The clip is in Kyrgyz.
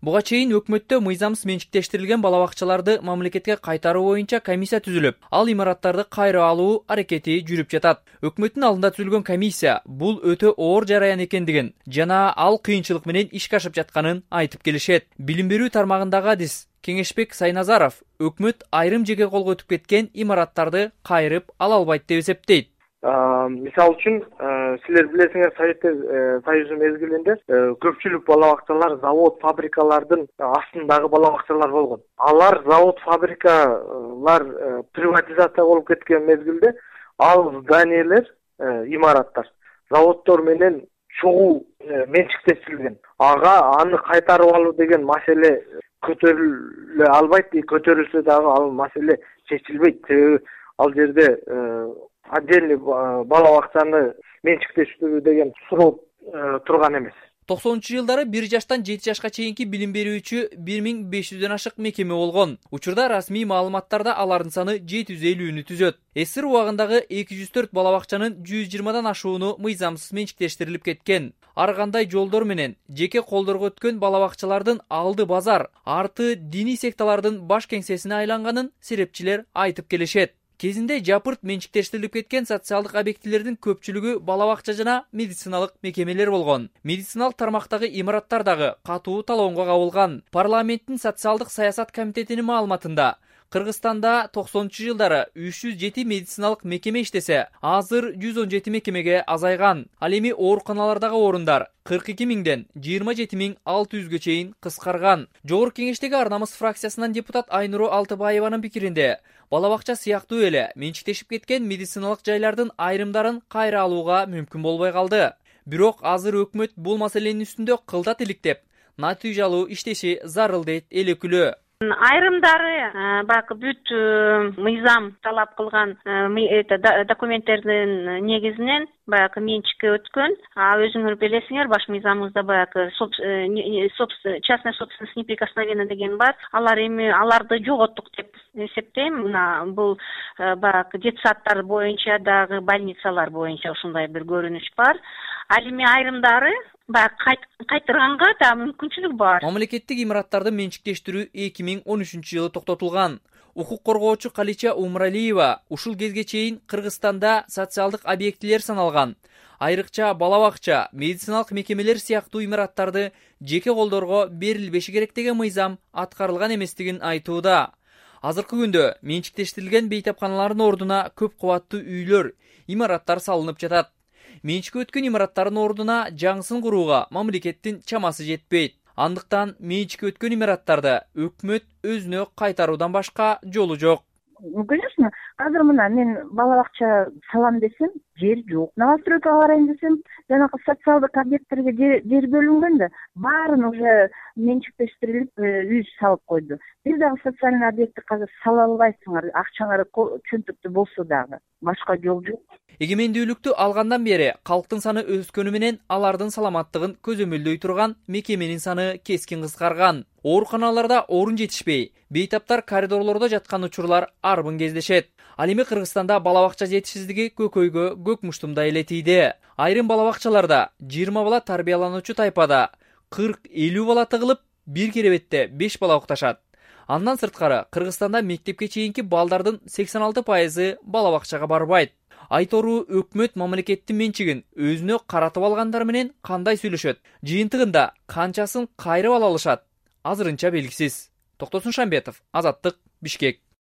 Буга чейин өкмөттө мыйзамсыз менчиктештирилген балабакчаларды мамлекетке кайтаруу боюнча комиссия түзүлүп, ал имараттарды кайра алуу аракети жүрүп жатат. Өкмөттүн алдында түзүлгөн комиссия бул өтө оор жараян экендигин жана ал кыйынчылык менен ишке ашып жатканын айтып келишет. Билим берүү тармагындагы адис Кеңешбек Сайназаров өкмөт айрым жеке колго өтүп кеткен имараттарды кайрып ала албайт деп эсептейт. Мисалы үчүн, силер билесиңер, Советтер Союзу мезгилинде көпчүлүк балабакчалар завод, фабрикалардын астындагы балабакчалар болгон. Алар завод, фабрикалар приватизация болуп кеткен мезгилде ал зданиелер, имараттар заводдор менен чогуу менчиктештирилген. Аны кайтарып алуу деген маселе көтөрүлө албайт, көтөрүлсө дагы ал маселе чечилбейт. Ал жерде отдельный балабакчаны менчиктештирүү деген суроо турган эмес. 90-жылдары 1 жаштан 7 жашка чейинки билим берүүчү 1500дөн ашык мекеме болгон. Учурда расмий маалыматтарда алардын саны 750-нү түзөт. СССР убагындагы 204 балабакчанын 120дан ашууну мыйзамсыз менчиктештирилип кеткен. Ар кандай жолдор менен жеке колдорго өткөн балабакчалардын алды базар, арты диний секталардын баш кеңсесине айланганын серепчилер айтып келишет. Кезинде жапырт менчиктештирилип кеткен социалдык объектилердин көпчүлүгү балабакча жана медициналык мекемелер болгон. Медициналык тармактагы имараттар дагы катуу талоонго кабылган. Парламенттин социалдык саясат комитетинин маалыматында Кыргызстанда 90-жылдары 307 медициналык мекеме иштесе, азыр 117 мекемеге азайган. Ал эми ооруканалардагы орундар 42.000ден 27.600гө чейин кыскарган. Жогорку кеңештеги Ар намыс фракциясынан депутат Айнуру Алтыбаеванын пикиринде, балабакча сыяктуу эле менчиктешип кеткен медициналык жайлардын айрымдарын кайра алууга мүмкүн болбой калды. Бирок азыр өкмөт бул маселенин үстүндө кылдат иликтеп, натыйжалуу иштеши зарыл дейт эл өкүлү. Айрымдары бак бүт мыйзам талап кылган документтердин негизинен баягы менчикке өткөн. Өзүңөр билесиңер, баш мыйзамыбызда баягы частная собственность неприкосновенна деген бар. Аларды жоготтук деп эсептейм. Бул баягы детсадтар боюнча дагы, больницалар боюнча ушундай бир көрүнүш бар. Ал эми айрымдары кайтырганга да мүмкүнчүлүк бар. Мамлекеттик имараттарды менчиктештирүү 2013-жылы токтотулган. Укук коргоочу Калича Умралиева ушул кезге чейин Кыргызстанда социалдык объектилер саналган. Айрыкча балабакча, медициналык мекемелер сыяктуу имараттарды жеке колдорго берилбеши керек деген мыйзам аткарылган эместигин айтууда. Азыркы күндө менчиктештирилген бейтапканалардын ордуна көп кубаттуу үйлөр, имараттар салынып жатат. Менчикке өткөн имараттардын ордуна жаңысын курууга мамлекеттин чамасы жетпейт. Андыктан менчикке өткөн имараттарды өкмөт өзүнө кайтаруудан башка жолу жок. Конечно, азыр мына мен балабакча салам десем, жер жок. Новостройкага карайын десем, жанагы социалдык объекттерге жер бөлүнгөн да, баарын уже менчиктештирилип, үй салып койду. Бир дагы социальный объектти казыр сала албайсыңар, акчаңар чөнтөктө болсо дагы. Башка жол жок. Эгемендүүлүктү алгандан бери калктын саны өскөнү менен алардын саламаттыгын көзөмөлдөй турган мекеменин саны кескин кыскарган. Ооруканаларда орун жетишпей, бейтаптар коридорлордо жаткан учурлар арбын кездешет. Ал эми Кыргызстанда балабакча жетишсиздиги көкөйгө көк муштумдай эле тийди. Айрым балабакчаларда 20 бала тарбиялануучу тайпада 40-50 бала тыгылып, бир керебетте 5 бала укташат. Андан сырткары Кыргызстанда мектепке чейинки балдардын 86% балабакчага барбайт. Айтору өкмөт мамлекеттин менчигин өзүнө каратып алгандар менен кандай сүйлөшөт? Жыйынтыгында канчасын кайрып ала алышат? Азырынча белгисиз. Токтосун Шамбетов, Азаттык, Бишкек.